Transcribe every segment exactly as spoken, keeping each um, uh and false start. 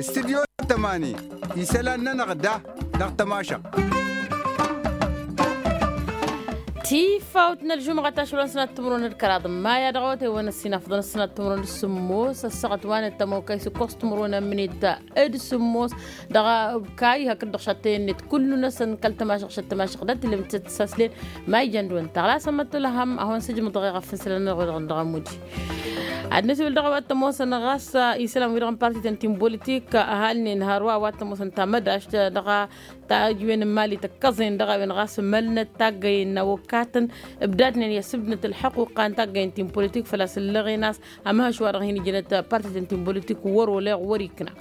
Studyo tămani isălan-nănăɣ da dăɣ-tămašăɣt. Tifawt n-ălžumɣa ta ašăl wa n-sănat timǝrwen d-kăraḍ n-maya dăɣ-awătay wa n-ăssinafḍăn ăssinat timǝrwen d-sǝmmos ăssaɣăt wa n-ăttămokay s-ǝkkoẓ timǝrwen ămnit d-sǝmmos dăɣ-kay hakd-dăɣ šattăyăn-net kullu-năsăn kăl-tămašăɣ šăt tămašăɣ dat-tǝllǝm tǝssaslen. Ma ijăn d-wăn taɣlasăn măttălăhăm ad-hawăn-sǝjmǝḍăɣ i-ɣăf n-isălan-nănăɣ wa dăɣ-nǝdăɣ ămudi. Ad-nǝsiwǝl dăɣ-a-wa t-ămoosăn ɣas isălan-wi-dăɣ n-partităn ti n-politik ăhalnen hărwa a-wa t-ămoosăn tamădašt dăɣ-tajǝwen n-imali tăkkăẓen dăɣ-a-wen ɣas mălnăt taggăyen n-awăkatăn ǝbdadnen i-asǝbdnăt ălḥăquqa n-taggăyen ti n-politik făl-a-s ǝllăɣen a-s amhăš wa dăɣ-hin-ǝjǝnăt partităn ti n-politik wăr-oleɣ wăr-ikna.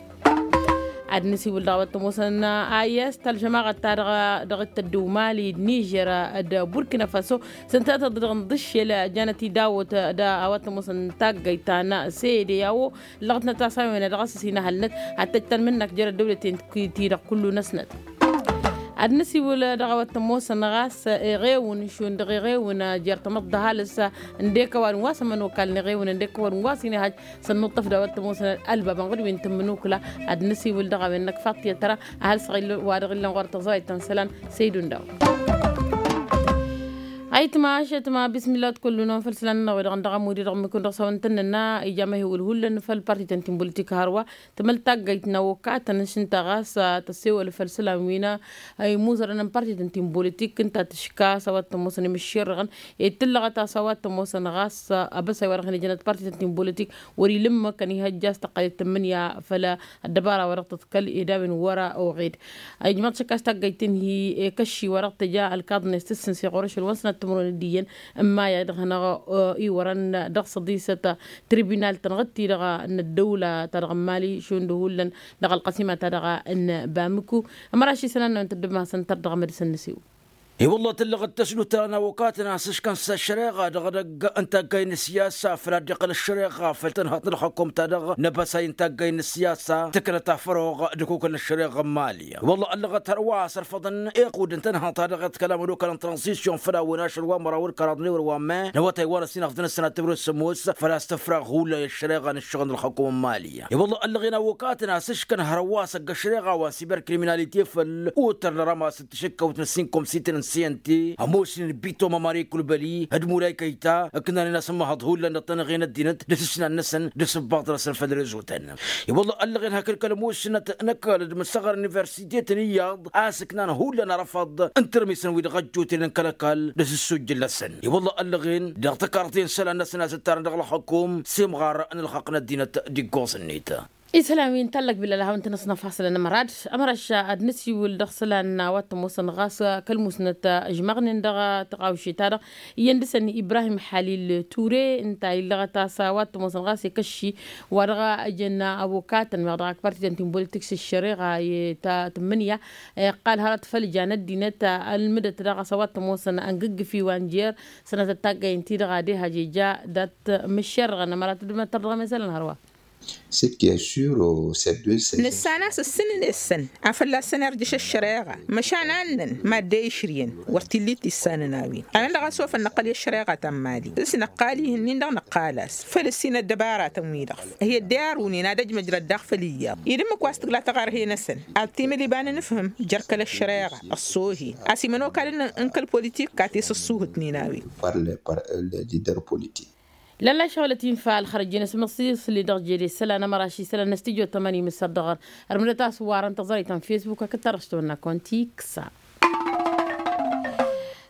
Ad-nǝsiwǝl dăɣ-a-wa t-ămoosăn a i-s talžămaɣăt-ta-dăɣ dăɣ-t tăddew mali d-nižer d-burkina faso s-ǝnta tăḍḍăɣ n-dd-ǝššel janăt idawăt d-a-wa t-ămoosăn taggăyt ta n-sede i-a-wo ǝllăɣătnăt a-s a-wen ad-dăɣ-s ăsinăhălnăt ad-tăjj tanmǝnnakt jer-ăddăwlăten ti-dăɣ kullu-năsnăt. Ad-nǝsiwǝl dăɣ-a-wa t-ămoosăn ɣas iɣewǝn šund dăɣ-iɣewǝn jer-tamăḍt d-ăhalǝs ǝndek ăwadǝm wa s-ămănokal n-iɣewǝn ǝndek ăwadǝm wa s-inihăj s-ănnuṭṭăf d-a-wa t-ămoosăn ălbab ănɣǝd wi n-tǝmmǝnukla. Ad-nǝsiwǝl dăɣ-a-wen-năk faṭṭiyăt tăra ăhalǝs wa dăɣ-illăn ɣur-tăẓrayt ta n-isălan. Săydu n-daw. Ayǝtma ašătma bismillah d-kullu-năwăn făll-isălan-nănăɣ wi-dăɣ n-dăɣ-amudi dăɣ-mikun dăɣ-s a-wa n-tăn-nănna ija măhiwǝl hullan făll-partităn ti n-politik hărwa tǝmăl taggăyt n-awokatăn s-ǝnta ɣas tăssewăl făll-isălan wi n-imuzărăn n-partităn ti n-politik ǝnta tǝška a-s a-wa t-ămoosăn imǝšširrăɣăn ed tǝllăɣăt a-s a-wa t-ămoosăn ɣas abăsay wa dăɣ-hin-ijănăt partităn ti n-politik wăr-ila ǝmmǝk ănihăjja a-s tăqqălet tǝmmǝnǝya făll-ăddăbara wa dăɣ-tăḍkăl ed a-wen wăr-oɣed. Ijmăḍ šăkk a-s taggăyt-in hi-ekăšši wa dăɣ-tăja ălkaḍnet s-tǝssǝnse ɣur-ašăl wa n-sănat timǝrwen d-iyyăn n-maya dăɣ-hanăɣ-iwărăn dăɣ-săḍisăt tribunal-tăn ɣǝd-ti-dăɣ n-ăddăwla-ta-dăɣ n-mali šund hullan dăɣ-ălqăsima-ta-dăɣ n-bamǝku. Ămăraš isălan-năwăn tăddǝm hasăn-tărdăɣ mad-săn nǝsiw. I-wălla tǝllăɣ d-tăsnut ta n-awokatăn a-s ǝškăn s-ăššăreɣa dăɣ-edăgg n-taggay n-ăssiyasa făll-ad-iqqăl ăššăreɣa făll-tănhăḍt n-ălxăkkum-ta-dăɣ n-abăsay n-taggay n-ăssiyasa tǝknăt afăroɣ d-akukǝl n-ăššăreɣa n-mali. I-wălla ăllăɣăt hărwa a-s ărfăḍăn iqud n-tănhăḍt-ta-dăɣ d-kălam ănokal n-tranzisyon făll-a-wen ašăl wa n-măraw d-kăraḍ n-ewăr wa n-me n-awătay wa n-ăsinăfḍăn ăssănat timǝrwen s-sămoos făl-a-s tǝfrăɣ hullan i-ăššăreɣa n-ǝššăɣǝl n-ălxăkkum n-mali. I-wălla ăllăɣen awokatăn a-s ǝškăn hărwa s-ăgg-ăššăreɣa wa n-siberkriminalite făll-otăr n-arămas d-tǝšǝkkăwt n-ăssinkăwăm s-itǝn n-siyănte ămoosnen bito mămări kulbăli d-mulay kăyta ǝknanen asǝmmăhăḍ hullan dăɣ-tanăɣe n-ăddinăt d-asǝsnan-năsăn d-asǝbbaḍ-năsăn făll-rezotăn. I-wălla ăllăɣen hakd kăl-ămoosnăt n-ăkall d-imǝssăɣăr n-universitetăn iyyăḍ a-s ǝknan hullan arăfăḍ n-tărmisăn wi dăɣ-ăjjootnen n-kăl-ăkall d-asǝssujjǝl-năsăn. I-wălla ăllăɣen dăɣ-tăkarḍe n-isălan-năsăn a-s ǝttarăn dăɣ-ălxăkum s-imɣar n-ălxaqq n-ăddinăt d-iggoẓ-net. Isălan wi n-tallăk bilal a hawăn-tăn-ăsnăfasălăn ămăra d-ămăra š-ad-nǝsiwǝl dăɣ-isălan a-wa t-ămoosăn ɣas kăl-musnăt ǝžmăɣnen dăɣ-tăɣawše-ta-dăɣ iyyăn dăɣ-săn ibrahim halil ture ǝnta illăɣăt a-s a-wa t-ămoosăn ɣas i-kăšši wa dăɣ-ăjăn ăbokatăn meɣ dăɣ-ak partităn ti n-politik s-ăššăreɣa i-ta tǝmmǝnǝya iqqal hărăt făll-jan ăddinăt ălmǝdăt daɣ a-s a-wa t-ămoosăn ăngǝggǝfi wa n-jer sănatăt taggay ǝnta-i-dăɣ ad-ihăj ija dat-mǝššerrăɣăn ămăra tǝddǝmnăt tărdăɣăm i-isălan hărwa. Nǝssan a-s ǝssǝnǝn-e-săn a fălla-săn irjǝš ăššăreɣa măšan a ǝnnăn madde išrǝyăn wăr t-illa i-tissanăn a-wen. Anăn-dăɣ a-s ofăn năqqăl i-ăššăreɣa ta n-mali s-năqqal-i ihǝnnin-dăɣ năqqal-as făl ǝssin ăddăbaratăn-wi-dăɣ hi-ăddar unen ad-ăjmăjrăd daɣ făll-iyyăḍ ed ǝmmǝk wa s-tǝgla tăɣărhe-năsăn ad-t-imǝl iba n-inǝfhǝm jer-kăl-ăššăreɣa ăṣṣoohen a-s imănokalăn n-kăl-politik kat-e-s ăṣṣuhǝtnen a-wen. Lălla šăɣlăt infa ălxărăjjen ăsmăṣiṣli dăɣ-jede isălan ămăraš isălan n-studyo tămani mǝssăr dăɣ-ărmǝdăt a-s warăn tăẓrăyt ta n-fesbuk hakd-ta-dăɣ s-tăwănna konti kǝsa.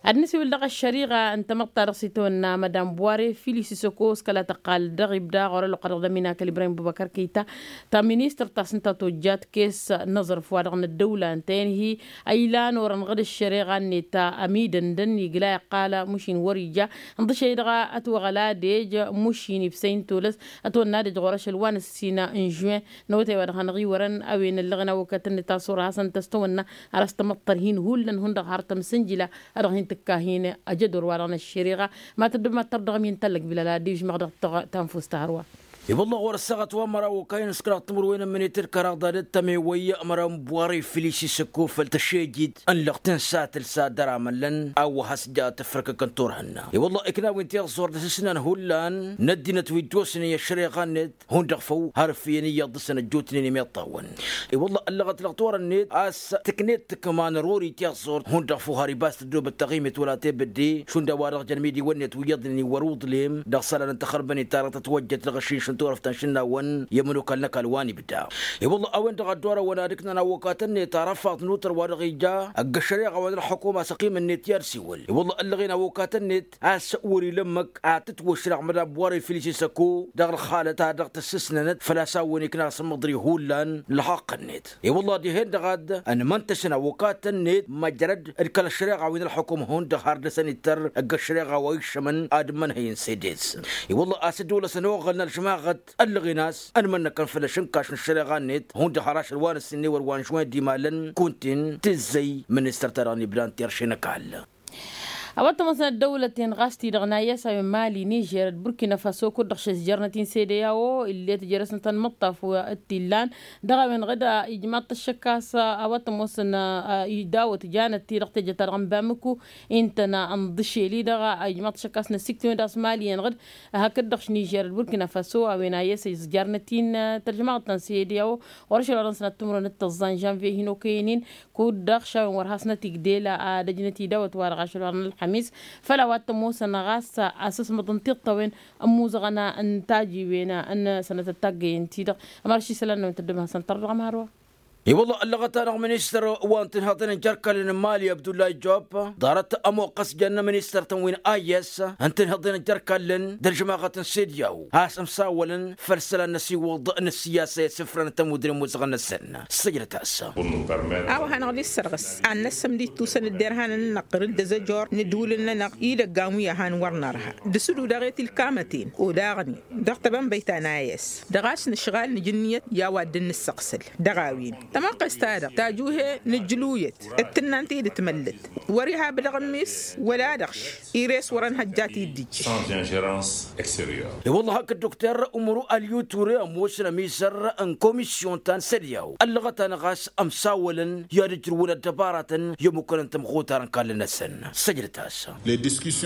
Ad-nǝsiwǝl dăɣ-ăššăriɣa n-tamăḍt ta dăɣ-s itawănna madam buware fili s-isăko s-kăla tăqqal dăɣ-ibda ɣur-ălluqqa dăɣ-dăminakăl ibrahim bubăkăr kăyta ta ministăr ta s-ǝnta tojjat kes n-aẓrǝf wa dăɣ-năddăwla ǝntăyăn hi-ăylan orăn ɣǝd ăššăreɣa-net ta ămidăndăn igla iqqal mušin wăr-ija ǝnḍǝšăy dăɣ-ătwăɣăl adej mušin ibsăy n-tolăs ătwănna adej ɣur-ašăl wa n-ǝssin n-žuwin n-awătay wa dăɣ-hanăɣ-iwărăn a-wen ăllăɣen awăkăt-net a-s orăhasăn tăstăwănna ar ăstămăṭṭăr hin-hullan hundăɣ har tămsǝnjǝla a dăɣ-hin-tǝkka hin-ăjădor wa dăɣ-năššeriɣa. Ma tăddǝm ad-tărdăɣăm-in tăllăk bilal ad-dd-ižmăɣ dăɣ-tanfust ta hărwa. I-wălla ɣur-ăssaɣăt wa n-măraw okayăn s-kăraḍ timǝrwen ămmănet d-kăraḍ ad-ăttăme wăyy măraw n-buware filis isǝkko făll-tăššejit ănlăɣ tǝnsa tǝlsa dăr-amăllăn a-wa has-ja tǝfrăkăkăn turhǝnna. I-wălla ikna wi n-tiẓẓur d-asǝsnan hullan n-ăddinăt wi dd-osnen i-ăššăreɣa-net hundăɣ făw har ǝffǝyăn iyyăḍ dăr-săn ăjjootnen i-miṭṭawăn. I-wălla ăllăɣăt-lăɣ turăn-net a-s tǝknet tǝkma n-ărori tiẓẓurt hundăɣ făw har ibas tăddoobăt taɣimit wăla tebădde šund a-wa-dăɣ jăn imidiwăn-net wi iyyăḍnen iwwăr uḍlem dăɣ-isălan n-taxărbănet ta dăɣ-tătwăjjăt dăɣ-ašǝnš n-turăft ta n-išǝnnawăn i-ămănokal n-ăkall wa n-ibda. I-wălla a-wen-dăɣ a dd-orăwăn ad-ǝknan awăkatăn-net arăfaḍ n-utăr wa dăɣ-ija ăgg-ăššăreɣa wa n-ălxukuma s-ăqqimăn-net i-ad-siwǝl. I-wălla ăllăɣen awăkatăn-net a-s wăr-ila ǝmmǝk ad-tǝtwăšrăɣ mădam buware filis isăkko dăɣ-ălxalăt ta dăɣ-tǝssǝsnănăt făl-a-s a-wen ikna asǝmmăḍri hullan ălxaqq-net. I-wălla dihen-dăɣ ad-ănmăntăšăn awăkatăn-net măjrăd d-kăl-ăššăreɣa wi n-ălxukum hundăɣ har dăr-săn ittăr ăgg-ăššăreɣa wa iššămăn ad-ǝmmănhăyăn s-edes. I-wălla a-s dd-olăsăn oɣălăn ălžămaɣăt ăllăɣen a-s ănmănnăkăn făll-ašǝnkaš n-ăššăreɣa-net hundăɣ har ašăl wa n-ǝssin n-ewăr wa n-žwin d-imalăn kuntin tǝzzăy ministăr-ta-dăɣ n-ibda n-terše n-ăkall. A-wa t-ămoosăn ăddăwlăten ɣas-ti-dăɣ n-ayy a-s a-wen mali nižer d-burkina faso kud-dăɣ šezjărnăt-in sede i-a-o illet jere-s n-tanmǝṭṭaf wa t-illan. Dăɣ-a-wen ɣǝd ijmaḍ-t ăššăk a-s a-wa t-ămoosăn idawăt janăt-ti-dăɣ teje-ta-dăɣ n-bamǝku. Intăn ănḍǝšel-i-dăɣ ijmaḍ-t ăššăk a-s n-ăsiktiwen d-a-s mali-en ɣǝd hakd-dăɣ š-nižer d-burkina faso a-wen ayy a-s izjarnăt-in tălžămaɣăt ta n-sede i-a-o. Ɣur-ašăl wa dăɣ-nǝsnat timǝrwen d-tăẓẓa n-žănviye hin-okăyăn-in kud-dăɣ šawen wăr hasnăt igdel ad-ăjnăt idawăt wa dăɣ-ašăl wa n-ălxămis. Făll-a-wa t-ămoosăn ɣas asǝsmăḍ n-tiṭṭăwen ămmuzăɣăn n-tajiwen n-sănătăt taggăyen-ti-dăɣ. Ămărăš isălan-năwăn tăddobem hasăn-tăr dăɣ-ămhăr wa. I-wălla ăllăɣăt-anăɣ ministăr wa n-tinhăḍen n-jerkallen n-mali abdullahi job ḍarăt ămoqqăs jănna ministăr-tăn wi n-ayy a-s n-tinhăḍen n-jerkallen d-ălžămaɣăt n-sediyaw a-s ămsawălăn făll-isălan n-asiwǝḍ n-ăssiyasa i-asǝfrăn tămudre n-imuzăɣăn-năsăn. Săjdăt-as. A-wa hanăɣ-dd-issărɣǝs ad-năssăm d-ittusăn dd-irhanăn-nănăɣ ɣǝr-dd ăzăjor n-ǝddǝwǝlăn-nănăɣ idăggan wi ăhan wăr nărha d-asǝdu daɣ i-tilkamăten odaɣnen dăɣ-tebănbăyt ta n-ayy a-s dăɣ-a-s nǝšɣal nǝj ǝnniyăt i-a-wa dd-nǝssăɣsǝl. Dăɣ-a-wen tamăqqest-ta-dăɣ tajuhe nǝjluyăt d-tǝnnan tidǝt măllăt wăr-iha abǝlăɣ n-mes wăla dăɣ-š ires wăr-ănhăjja tidǝjj. I-wălla hakd dokter umru alyu ture ămoosăn ămizăr n-komisyon ta n-sădiyaw ăllăɣăt-anăɣ a-s ămsawălăn i-ad-ǝjrǝwăn ăddăbaratăn i-ămukănăn tămɣutar n-kallăn-năsăn. Săjdăt-as.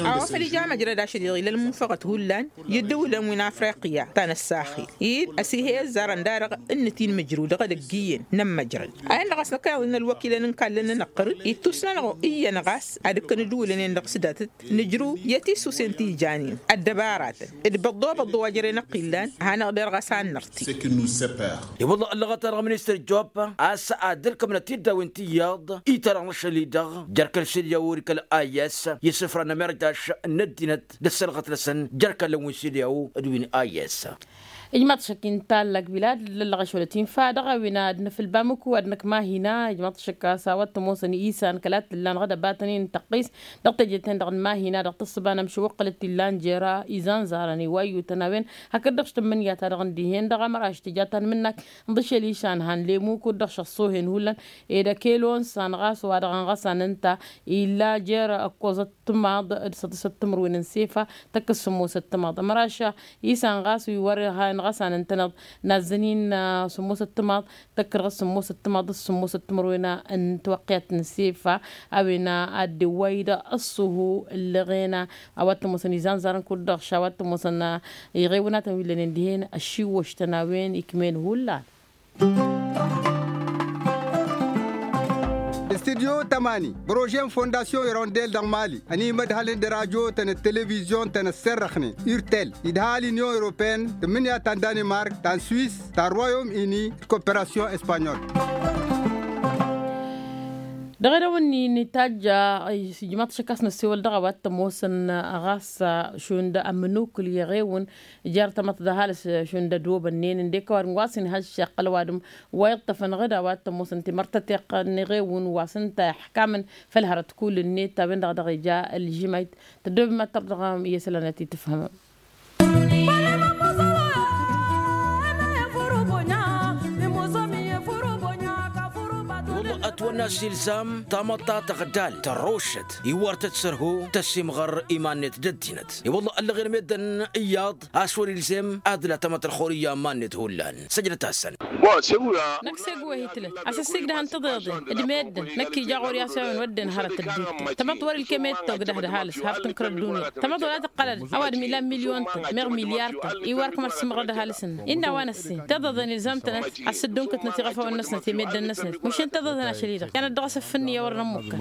A-wa făl ija măjrăd ašăl-i-dăɣ ila ălmunfăɣăt hullan i-ǝddǝwǝlăn wi n-afriqya ta n-ăssaxil-i-dd ăsihe ăzzarăn da-dăɣ ǝnnǝt-in mǝjrǝw dăɣ-edăgg iyyăn n-ămmăjrăd. A-wen dăɣ-a-s năkkăneḍ-in ălwăkilăn n-kallăn-nănăɣ ɣăr-dd ittus-nănăɣ iyyăn ɣas ad-ǝkkăn ǝddǝwǝlăn-en-dăɣ s-datăt nǝjrǝw i-tisusen ti janen ăddăbaratăn d-băḍḍo-băḍḍo wa jere-năɣ illan. Hanăɣ-dd-erɣ a-s ad-nărti. I-wălla ăllăɣăt-anăɣ ministăr job a-s ad-ǝlkămnăt tiddawen ti iyyăḍ i-ta-dăɣ n-ašăl-i-dăɣ jer-kăl-sediyaw d-kăl-ayy a-s i-isǝfra n-amărjaš n-ăddinăt d-ăssălɣăt-năsăn jer-kallăn wi n-sediyaw d-wi n-ayy a-s. Ijmaḍ-t ašăk inta ăllak bilad lăllăɣ ašolăt infa dăɣ-a-wen ad-nǝfǝl bamǝku ad-năkk mahina ijmaḍ-t ašăk a-s a-wa t-ămoosăn isan kăla t-ǝllan ɣǝd ăbatăn-in tăqqis dăɣ-teje-ten-dăɣ n-mahina dăɣ-tǝssǝba n-ămšăwăqqălăt t-illan jer-izanzarăn iwayyutăn a-wen hakd-dăɣ š-tǝmmǝnǝya-ta-dăɣ n-dihen-dăɣ ămăraš tǝja tanmǝnnakt n-dăšel išanhan lemu kud-dăɣ šăṣṣohen hullan ed ăkelo n-isan ɣas wa dăɣ-ănɣăsan ǝnta illa jer-ăkkoẓăt timaḍ d-săḍisăt timǝrwen n-sefa tăkk-s sǝmmosăt timaḍ ămăraš isan ɣas wi wăr-iha inɣăsan ǝntăneḍ nazzăn-in sǝmmosăt timaḍ tăkk-dăɣ s-sǝmmosăt timaḍ d-sǝmmosăt timǝrwen n-tiwăqqiyat n-sefa. A-wen ad-dd-iwway-dd ăṣṣuhu ǝllăɣen a-wa t-ămoosăn izanzarăn kud-dăɣ š-a-wa t-ămoosăn iɣewnatăn wi ǝllănen dihen ăššiwwăš-tăn a-wen ikm'-en hullan. Studyo tămani prože n-fondasyon irondel dăɣ-mali ănimădhălăn d-radyo-tăn d-televizyon-tăn ăssărrăxnen urtel idha l-inyon europeyăn tǝmmǝnǝya ta n-danimark ta n-swis ta n-royom ini d-koperasyon espanyol. Dăɣ-edăwănni n-itajja ijmaḍ-t ašăk a-s năssewăl dăɣ-a-wa t-ămoosăn ɣas šund ămnukǝl i-eɣewǝn jer-tamăḍt d-ăhalǝs šund ădobănnen ǝndek ăwadǝm wa s-inhăjja iqqăl ăwadǝm wa iṭṭăfăn ɣǝd a-wa t-ămoosăn timărtăteɣt n-eɣewǝn wa s-ǝnta iḥkamăn făll-hărăt kull-net a-wen-dăɣ dăɣ-ija ălžimăyt tăddobem ad-tărdăɣăm i-isălan ad-t-tǝfhǝmăm. A-s ilzam tamăḍt ta tăɣdal tărrošăt iwwar-tăt sărho tăsimɣăr iman-net d-ăddinăt. I-wălla ăllăɣen meddǝn iyyăḍ a-s wăr-ilzem ad-ǝla tamăḍt ălxur iyyăn iman-net hullan. Săjdăt-asăn. Năkk s-egg wa hi-tǝlăt a-s ăssiigdăhăn tiḍeḍen d-meddǝn năkk ija ɣur-i a-s i-a-wen wădden hărăt ădduuttăn tamăḍt wăr-ilkem i-dd-togdăh d-ăhalǝs haf tǝnkăr ădduunyăt tamăḍt wăla tǝqqălăd ăwadǝm ilan milyon-tăn meɣ milyar-tăn iwar kămăr sǝmmăɣrăd ăhalǝs-năk. Innă a-wa n-ăssin tiḍeḍen ilzam-tănăt a-s dd-unkǝtnăt iɣăfawăn-năsnăt i-meddǝn-năsnăt măšin tiḍeḍen ašăl-i-dăɣ i-ad-dăɣ-s ăffǝnni i-wăr n-ămmukkăn.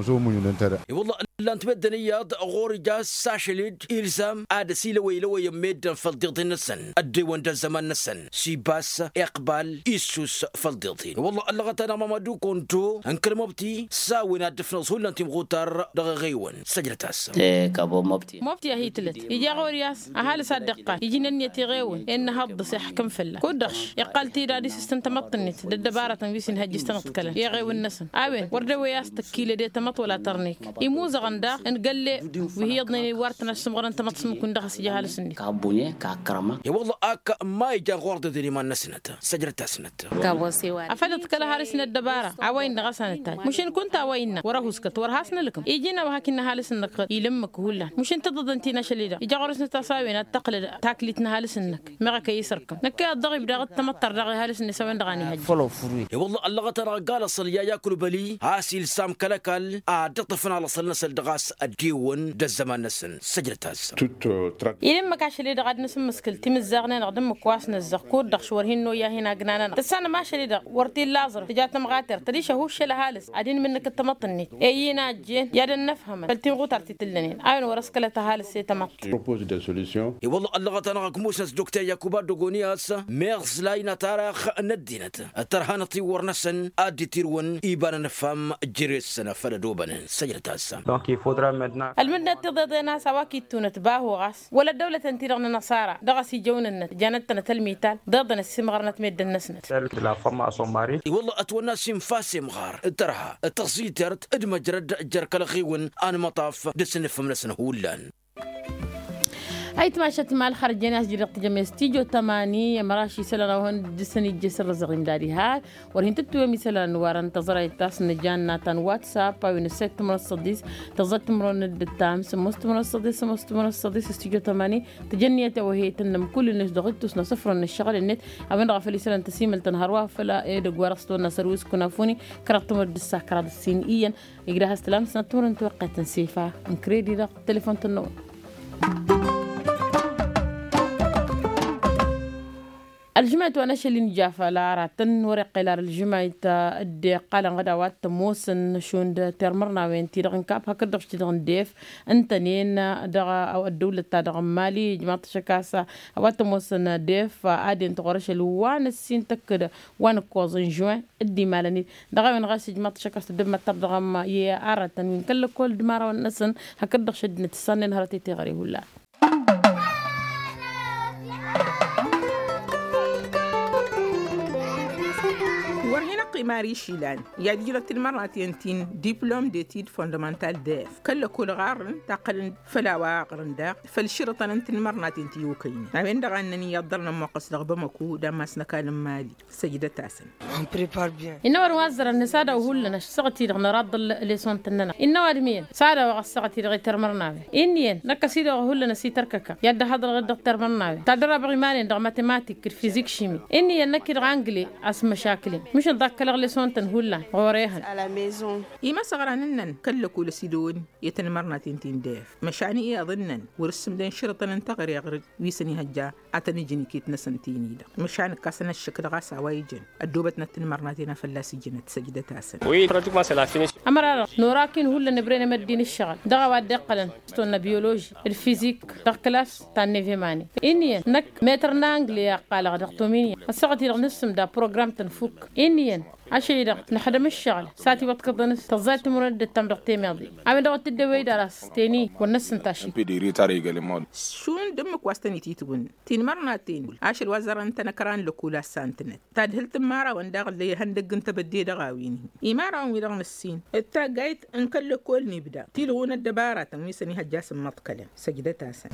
I-wălla ǝllan-t meddǝn iyyăḍ ɣur-ija a-s ašăl-i-dd ilzam ad-ăsilăwăylăwăyăn meddǝn făll-tiḍeḍen-năsăn ăddewăn d-ăzzăman-năsăn s-ibas iqbal issus făll-tiḍeḍen i-wălla ăllăɣăt-anăɣ mamadu kondo n-kăl-mobti s-a-wen ad-dd-ǝfnăẓ hullan timɣutar dăɣ-eɣewăn. Săjdăt-asăn. Mobti a hi-tǝlăt ija ɣur-i a-s ăhalǝs ad-dd-iqqal iji n-ǝnniyăt iɣewăn i-ănnăhăḍ dăɣ-s iḥkǝm fălla-s kud-dăɣ-š iqqal-t-dd ad-isǝstǝn tamăḍt-net d-ăddăbarătăn wi s-inhăjjǝs tanăḍkălăn i-iɣewăn-năsăn. A-wen wăr dewăy a-s tăkkilăd i-tamăḍt wăla tărnek imuzăɣăn daɣ n-gălle wi hi-iyyăḍnen iwwar-tăn ad-sǝmɣărăn tamăḍt s-mǝkun dăɣ-s ija ăhalǝs-net. I-wălla ak ma ijan ɣur-dăden iman-năsnăt. Săjdăt-asnăt. Afăl dd-kăl-ăhalǝs n-ăddăbara a-wa innă ɣas a nǝttaj măšin kunta a-wa innă wăr-ăhuskăt wăr has-nǝlkǝm iji n-a-wa hak innă ăhalǝs-năk. Ilǝmmǝk hullan măšin tiḍǝḍen ti n-ašăl-i-dăɣ ija ɣur-s nǝtas a-wen ad-tăqqǝlăd taklit n-ăhalǝs-năk. Meɣ ăkăy isărkăm năkk i-ad-dăɣ-ibda ad-t-tămăḍtăr daɣ i-ăhalǝs-net a-wen-dăɣ a n-ihăjja. I-wălla ăllăɣăt-anăɣ ăgg-alăṣ ălya yakǝlbăli a-s ilsam kăl-ăkall ad-dd-iṭṭăfăn alăṣăl-năsăn dăɣ-a-s ăddiwăn d-ăzzăman-năsăn. Săjdăt-asăn. Ilǝmmǝk ašăl-i-dăɣ ad-nǝsǝmmǝskǝl timǝzzaɣnen ad-dd-ǝmmǝk wa s-nǝzzăɣ kud-dăɣ š-wăr hin-noyya hin-agnanănăɣ tǝssanăm ašăl-i-dăɣ wăr t-illa aẓrǝf tǝja tămɣatert tădiš ăhuššăl ăhalǝs ad-inmǝnnǝkǝd tamăḍt-net. I-ina ăjjeen i-ad-ănnăfhămăn făll-tinɣutart ti t-ǝllănen a-wen wăr-ăskăl ăhalǝs i-tamăḍt. I-wălla ăllăɣăt-anăɣ ăgg musnăt dokter yakuba dogonyas meɣ s-la inătarax n-ăddinăt ăttărhănăt tiwwăr-năsăn ad-dd-itirǝwăn iba n-anăfham. Jere-săn făll-ădobănen săjdăt-asăn. Ălmǝdnăt tiḍeḍen a-s a-wa k-ittunăt bahu ɣas wăla ăddăwlăten-ti-dăɣ n-anăṣara dăɣ-s ijăwnănnăt janăt-tănăt ălmital ḍeḍăn ăssimɣărnăt meddǝn-năsnăt. I-wălla ătwănna s-infa s-imɣar d-tărha d-tăẓẓitert d-măjrăd jer-kăl-ăɣiwǝn anmăṭaf d-asǝnnǝfăm-năsăn hullan. Ayǝtmašat ma ălxărjăn i-a-s jidăɣ tǝjăm i-s tijo tămani i-măraš isălan a-wa hăn dd-săn ijje s-ărrăzăɣ imdad ihar. Wăr hin-tǝttǝwem isălan n-warăn tăẓrayt ta-s nǝja ǝnna ta n-whatsapp a-wen ǝssayt timărăn s-săḍis tăẓẓayt timărăn d-ǝttam sǝmmos timărăn s-săḍis sǝmmos timărăn s-săḍis s-tijo tămani. Tǝjănniyăt i-awăheyăt ǝnnăm kull-net dăɣ-ǝttus n-asǝfrăn n-ǝššăɣǝl-net. A-wen-dăɣ a făl isălan tăsimǝlt-tăn hărwa făl edăgg wa dăɣ-s tăwănna sărwis kunafuni kăraḍ timǝrt d-ǝssa kăraḍ ǝssin iyyăn. Igdăh ăstălam s-năttăwănăn tiwăqqet n-sifa n-kredi dăɣ-telefon tănnăwăn. Ălžămayt wa n-ašăl-in ija făll-aratăn wăr-iqqel ar ălžămayt. Dd-iqqalăn ɣǝd a-wa t-ămoosăn šund termărnawen-ti-dăɣ n-kap hakd-dăɣ š-ti-dăɣ n-def ǝntănen dăɣ-ăddăwlăt-ta-dăɣ n-mali ijmaḍ-t ašăk a-s a-wa t-ămoosăn def ad-ent ɣur-ašăl wa n-ăssin tăkk-dd wa n-ǝkkoẓ n-žuwin. Dd-imalăn-dd dăɣ-a-wen ɣas ijmaḍ-t ašăk a-s tăddămmăttăr dăɣ-ămm i-aratăn wi n-kăl-lăkkol d-imărawăn-năsăn hakd-dăɣ šăddinăt tǝssannen hărăt i-teɣăre hullan. Wăr hin-ăqqim ar išilan i-ad-ijrăt tinmărnaten ti n-diplom d-etid fondamental def kăl-lăkkol ɣarrăn taqqălăn făll-a-wa ɣrăn daɣ făll-išrǝṭăn n-tinmărnaten ti okăynen a-wen-dăɣ a ǝnnăn iyyăḍ ḍărăn ămmoqqăs dăɣ-bamăku d-ammas n-ăkall n-mali. Săjdăt-asăn. Innă ăwadǝm wa ăzzărăn nǝsadaw hullan ăššăɣǝl-ti-dăɣ năraḍăl lesson-tăn-nănăɣ innă ăwadǝm iyyăn sadaw a ɣas săɣăt-i-dăɣ i-termărnawen. Inn'-iyyăn năkk ăsidăwăɣ hullan ăsitărkăka i-ad-dd-ăhaḍărăɣ-dd dăɣ-termărnawen tadărabeɣ iman-en dăɣ-matematik d-fizik šimi. Inn'-iyyăn năkk-i-dăɣ angle a-s măšakǝlen mǝšǝn ḍakkălăɣ lesson-tăn hullan ɣur-ehăn. Imăsăɣra n-ǝnnăn kăl-lăkul ăsidăwăn i-tănmărnaten ti n-def măšan iyyăḍ ǝnnăn wăr-ǝssǝmdăn šărǝṭăn n-teɣăre ɣur-dd wi s-ănihăjja ad-tăn-ǝjǝn iket-năsăn tini-dăɣ măšan ǝkkasăn ăššăk dăɣ-a-s a-wa ijăn ăddoobătnăt tinmărnaten a fălla-s ijǝnăt. Săjdăt-asăn. Ămăra-dăɣ nora akin hullan ǝbren i-măddin ǝššăɣǝl dăɣ-a-wa dd-iqqălăn s-tonna biyoloži d-fizik dăɣ-klas ta n-nevemane. Inn'-iyyăn năkk metăr n-angle a ǝqqalăɣ dăɣ-tominya ăssaɣăt-i-dăɣ nǝssǝmda program-tăn fukk. Inn'-iyyăn ašăl-i-dăɣ năxdăm ǝššăɣǝl s-ad-tiwăḍkăḍăn s-tăẓẓayt timǝrwen dd-ǝttam dăɣ-temeḍe. A-wen-dăɣ wăr t-dd-ewăy d-aras teni wăr năssǝnta ašăl. Tinmărnaten ašăl wa zărăn-tăn ăkra n-lăkul a ǝssantănăt tadhǝlt n-imărawăn daɣ dd-ihăndăgg n-tebădde dăɣ-a-wen-hi imărawăn-wi-dăɣ năssin d-taggayt n-kăl-lăkol n-ibda tilɣun ăddăbaratăn wi s-ănihăjja a-s ǝmmăḍkălăn. Săjdăt-asăn.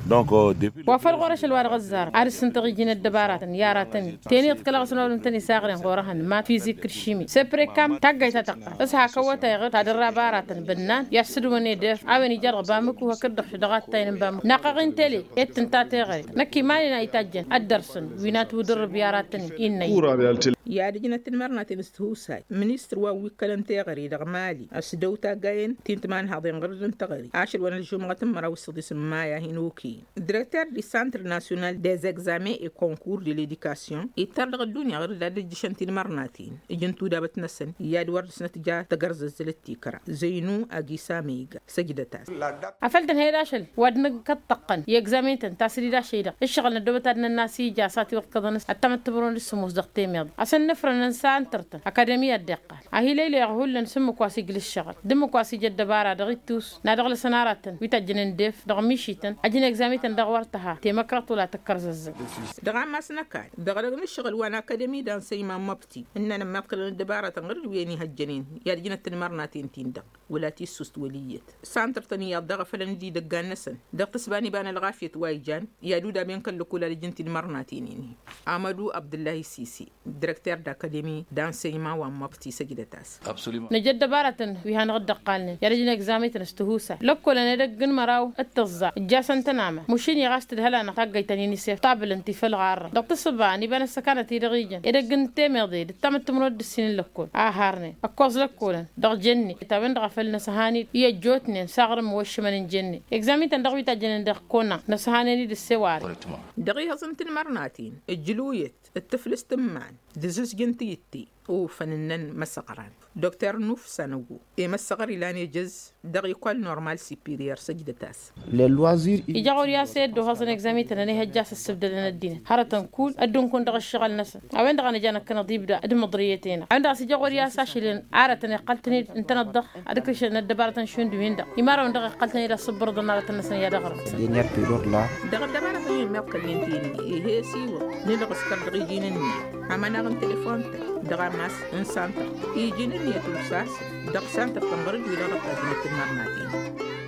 Wa făl ɣur-ašăl wa dăɣ-ăzzarăt ad-ǝssǝntăɣ iji n-ăddăbaratăn i-aratăn-in teniḍ kăl-aɣăsnăwăl ǝntăn isaɣren ɣur-ehăn ma fizik d-šimi. Sepre kam taggayt ta tăqqar s-hak ăwwătay ɣǝr tadărra baratăn bǝnnan i-ad-sǝdwăn edef a-wen ija dăɣ-bamǝku hakd-dăɣ dăɣ-attayăn n-bamǝku naqăɣ intele. Ed tǝnta teɣăre năkk iman-in a itajjăn ăddărsăn wi n-atwǝdǝrrǝb i-aratăn-in innă. I-ad-ǝjnăt timărnaten s-tihusay ministăr wa n-wi ǝkkălăn teɣăre dăɣ-mali a-s dăw-taggayen ti n-timanhaḍen ɣǝrǝd n-teɣăre ašăl wa n-ălžumɣăt n-măraw s-săḍis n-maya hin-okăyăn. Dirăkter di santr nasyonal dez egzamen e konkurs de ledikasyon ittar dăɣ-ăddunya ɣǝrǝd ad-ǝjjǝšăn tinmărnaten ǝjǝn tudabăt-năsăn i-ad-wăr dăɣ-s nătja tăgărzăzzălăt tikra zăynu agisa măyga. Săjdăt-as. Afăl tǝnhăyăd ašăl wa d-nǝkăṭṭăqqăn i-egzamen-tăn tasǝdid ašăy-dăɣ ǝššăɣǝl n-ăddoobăt ad-nănn'-as ija a-s atiwăḍkăḍăn s-ăttamăttămărwen d-sǝmmos dăɣ-temeḍe. Asăn nǝfrănăn santăr-tăn akademi ad-dd-iqqal ahi lăylăyăɣ hullan s-ǝmmǝk wa s-ijlǝššăɣăl d-ǝmmǝk wa s-ija ăddăbara dăɣ-ittus n-ad-ăɣlăsăn aratăn wi tajjănen d-ef dăɣ-mišităn ăjǝn egzamen-tăn dăɣ-wăr tǝha temăkrăḍt wăla tǝkkărzăzzăg. Dăɣ-ammas n-ăkall dăɣ-edăgg n-ǝššăɣǝl wa n-akademi d-ansăyman măbti ǝnnan ămmiḍkălăn ăddăbaratăn ɣur-dd wi ănihăjjănen i-ad-ǝjnăt tinmărnaten-tin-dăɣ wăla tissust wăl' iyyăt. Santăr-tăn iyyăḍ daɣ a făl ănǝdidăggan-năsăn dăɣ-tǝsba n-iba n-ălɣafyăt wa ijan i-ad-udaben kăl-lăkkol ad-ǝjǝn tinmărnaten-in-hi. Amădu abdǝllahi sisi dirăkter d-akademi d-ansăyman wa n-măbti săjdăt-as. Năj ăddăbarătăn wi hanăɣ-dd-ăqqalnen i-ad-ăjǝn egzamen-tăn s-tihusay lăkkolăn edăgg n-măraw d-tǝẓẓa ǝjjasăn-tăn aman mušin-i ɣas tǝdhăl-anăɣ taggăyt ta n-inisef tabǝlăn ti făll-ɣarrăn dăɣ-tǝssǝba n-iba n-ăssăkanăt-i-dăɣ ijăn edăgg n-temeḍe d-ǝttam d-timǝrwen d-ǝssin n-lăkkol a harnen ăkkoẓ lăkkolăn dăɣ-jenne ta-wen-dăɣ a făl năsăhan-dd i-ăjjootnen s-aɣrǝm n-iwăššǝmăn n-jenne. Egzamen-tăn dăɣ-wi tajjănen dăɣ-kona năsăhanen-dd ǝsseware. Dăɣ-ihăẓ n-tinmărnaten ǝjlǝwyăt d-tǝflǝst n-iman d-azǝzjǝn tiyǝtte. Ufăn ǝnnăn măsăɣran dr nuf sanăggu i-măssăɣăr ilan ejăz dăɣ-ikol normal sipiryăr săjdăt-as. Ija ɣur-i a-s i-dd-ohăẓăn egzamen-tăn ănihăjja a-s ăssǝbdădăn ăddinăt hărătăn kull ăddunkun dăɣ-ǝššăɣǝl-năsăn. A-wen-dăɣ a nǝja năkkănăḍ ibda d-imǝḍrǝyăt-enăɣ a-wen-dăɣ a-s ija ɣur-i a-s ašăl-en arătăn iqqăl-tăn-dd ǝntăneḍ-dăɣ ad-ǝkrǝšăn ăddăbarătăn šund-win-dăɣ. Imarăwăn-dăɣ iqqăl-tăn-dd a-s ǝbbărăḍăn arătăn-năsăn i-ad-ăɣrǝm. Dăɣ-ăddăbarătăn i-ămmiḍkălnen ti-nin ih'-e s-iwǝḍ nǝlɣǝs kăr-dăɣ iji n-ǝnniyăt amănaɣ n-telefon-tăn dăɣ-ammas n-santăr iji n-ǝnniyăt ufsasăn dăɣ-santăr-tăn ɣur-dd wi-dăɣ dăɣ-tajjănăt tinmărnaten.